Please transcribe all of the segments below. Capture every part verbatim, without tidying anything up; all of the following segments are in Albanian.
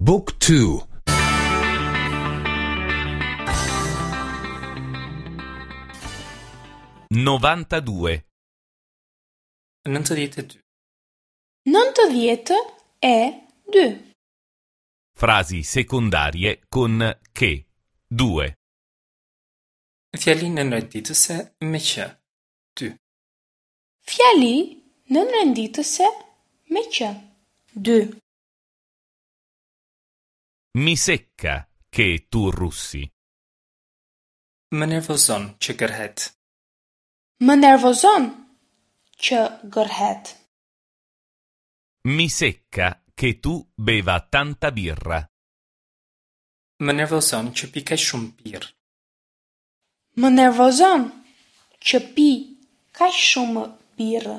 Book two. novantadue. Nëntëdhjetë e dy. Nëntëdhjetë e dy. Frasi secondarie con che. Due. Fjali nënrenditëse me që. Dy. Fjali nënrenditëse me që. Dy. Mi secca che tu russi. Më nervozon që gërhet. Më nervozon që gërhet. Mi secca che tu beva tanta birra. Më nervozon që pi kaq shumë birrë. Më nervozon që pi kaq shumë birrë.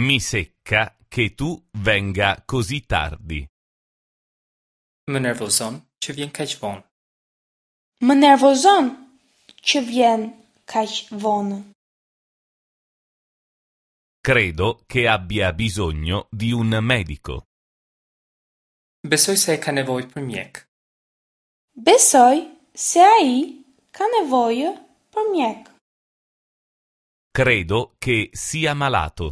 Mi secca che tu venga così tardi. Më nervozon që vjen kaq vonë. Më nervozon që vjen kaq vonë. Credo che abbia bisogno di un medico. Besoj se ai ka nevojë për mjek. Besoj se ai ka nevojë për mjek. Credo che sia malato.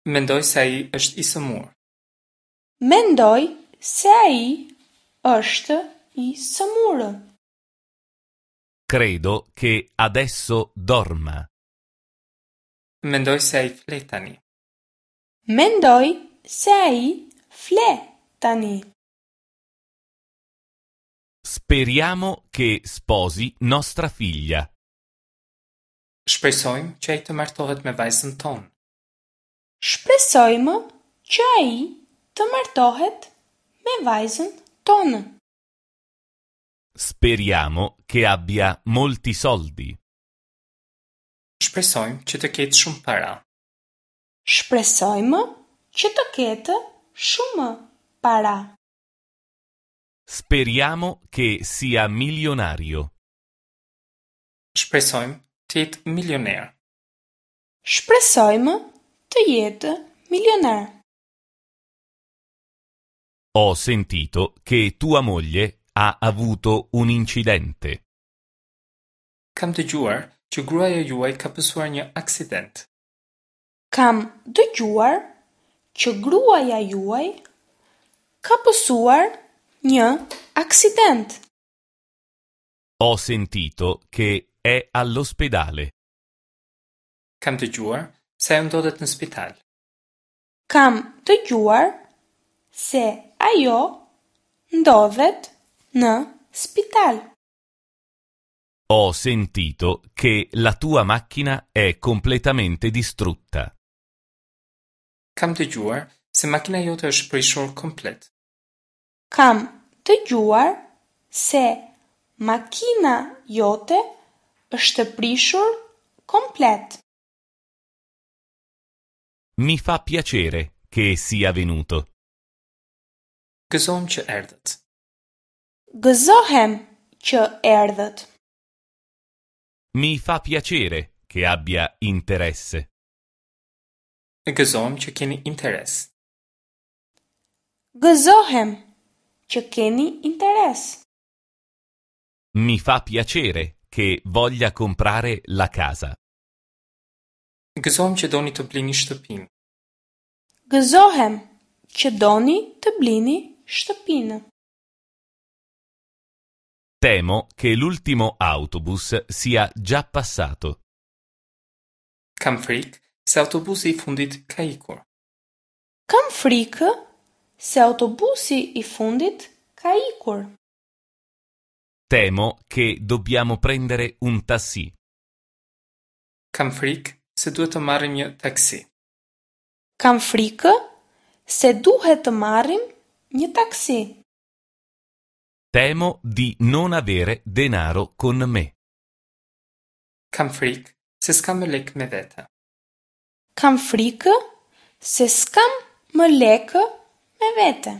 Mendoj se ai është i sëmurë. Mendoj se ai është i sëmurë. Credo che adesso dorma. Mendoj se ai fle tani. Mendoj se ai fle tani. Speriamo che sposi nostra figlia. Shpresojmë që ai të martohet me vajzën tonë. Shpresojmë që ai të martohet me vajzën tonë. Speriamo che abbia molti soldi. Shpresojmë që të ketë shumë para. Shpresojmë që të ketë shumë para. Speriamo che sia milionario. Shpresojmë të jetë milioner. Shpresojmë të jetë milioner. Ho sentito che tua moglie ha avuto un incidente. Kam dëgjuar që gruaja juaj ka pësuar një aksident. Kam dëgjuar që gruaja juaj ka pësuar një aksident. Ho sentito che è all'ospedale. Kam dëgjuar se ajo ndodhet në spital. Kam dëgjuar se ajo ndodhet në spital. Ho sentito che la tua macchina è completamente distrutta. Kam dëgjuar se makina jote është prishur komplet. Kam dëgjuar se makina jote është prishur komplet. Mi fa piacere che sia venuto. Gëzohem që erdhët. Gëzohem që erdhët. Mi fa piacere che abbia interesse. Gëzohem që keni interes. Gëzohem që keni interes. Mi fa piacere che voglia comprare la casa. Gëzohem që doni të blini shtëpinë. Gëzohem që doni të blini shtëpinë. Temo che l'ultimo autobus sia già passato. Kam frikë se autobusi i fundit ka ikur. Kam frikë se autobusi i fundit ka ikur. Temo che dobbiamo prendere un tassì. Kam frikë se duhet të marrim një taksi. Kam frikë se duhet të marrim një taksi. Temo di non avere denaro con me. Kam frikë se s'kam më lekë me vete. Kam frikë se s'kam më lekë me vete.